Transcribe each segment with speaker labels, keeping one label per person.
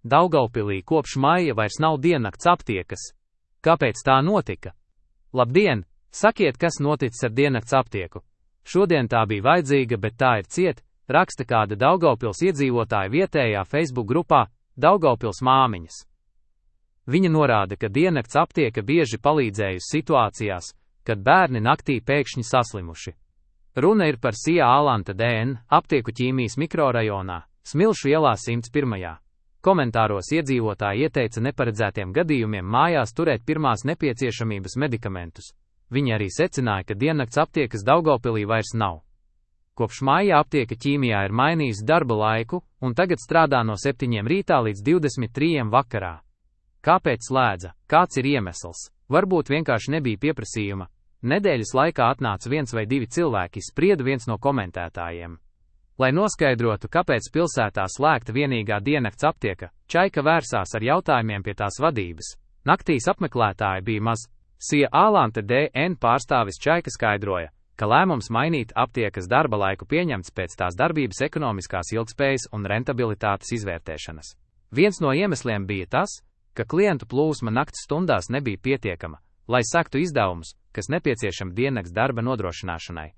Speaker 1: Daugavpilī kopš maija vairs nav diennakts aptiekas. Kāpēc tā notika? Labdien! Sakiet, kas noticis ar diennakts aptieku? Šodien tā bija vajadzīga, bet tā ir ciet, raksta kāda Daugavpils iedzīvotāja vietējā Facebook grupā Daugavpils māmiņas. Viņa norāda, ka diennakts aptieka bieži palīdzējusi situācijās, kad bērni naktī pēkšņi saslimuši. Runa ir par SIA Alanta DN aptieku ķīmijas mikrorajonā, Smilšu ielā 101. Komentāros iedzīvotāji ieteica neparedzētiem gadījumiem mājās turēt pirmās nepieciešamības medikamentus. Viņi arī secināja, ka diennakts aptiekas Daugavpilī vairs nav. Kopš maija aptieka ķīmijā ir mainījusi darba laiku, un tagad strādā no 7 rītā līdz 23 vakarā. Kāpēc slēdza? Kāds ir iemesls? Varbūt vienkārši nebija pieprasījuma. Nedēļas laikā atnāca 1 vai 2 cilvēki, sprieda viens no komentētājiem. Lai noskaidrotu, kāpēc pilsētā slēgta vienīgā diennakts aptieka, Čaika vērsās ar jautājumiem pie tās vadības. Naktīs apmeklētāji bija maz. SIA Alanta DN pārstāvis Čaika skaidroja, ka lēmums mainīt aptiekas darba laiku pieņemts pēc tās darbības ekonomiskās ilgspējas un rentabilitātes izvērtēšanas. Viens no iemesliem bija tas, ka klientu plūsma nakts stundās nebija pietiekama, lai sektu izdevumus, kas nepieciešami diennakts darba nodrošināšanai.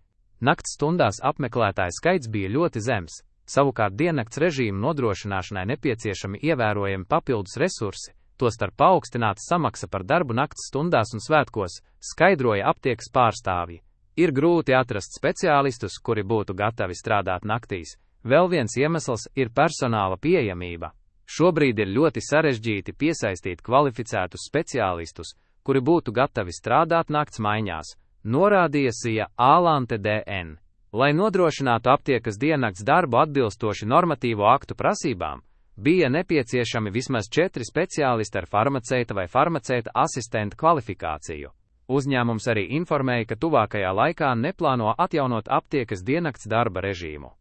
Speaker 1: Nakts stundās apmeklētāju skaits bija ļoti zems, savukārt diennakts režīmu nodrošināšanai nepieciešami ievērojami papildus resursi, tostarp paaugstināta samaksa par darbu nakts stundās un svētkos, skaidroja aptiekas pārstāvji. Ir grūti atrast speciālistus, kuri būtu gatavi strādāt naktīs. Vēl viens iemesls ir personāla pieejamība. Šobrīd ir ļoti sarežģīti piesaistīt kvalificētus speciālistus, kuri būtu gatavi strādāt nakts maiņās, norādīja SIA Alanta DN. Lai nodrošinātu aptiekas diennakts darbu atbilstoši normatīvo aktu prasībām, bija nepieciešami vismaz 4 speciālisti ar farmaceita vai farmaceita asistenta kvalifikāciju. Uzņēmums arī informēja, ka tuvākajā laikā neplāno atjaunot aptiekas diennakts darba režīmu.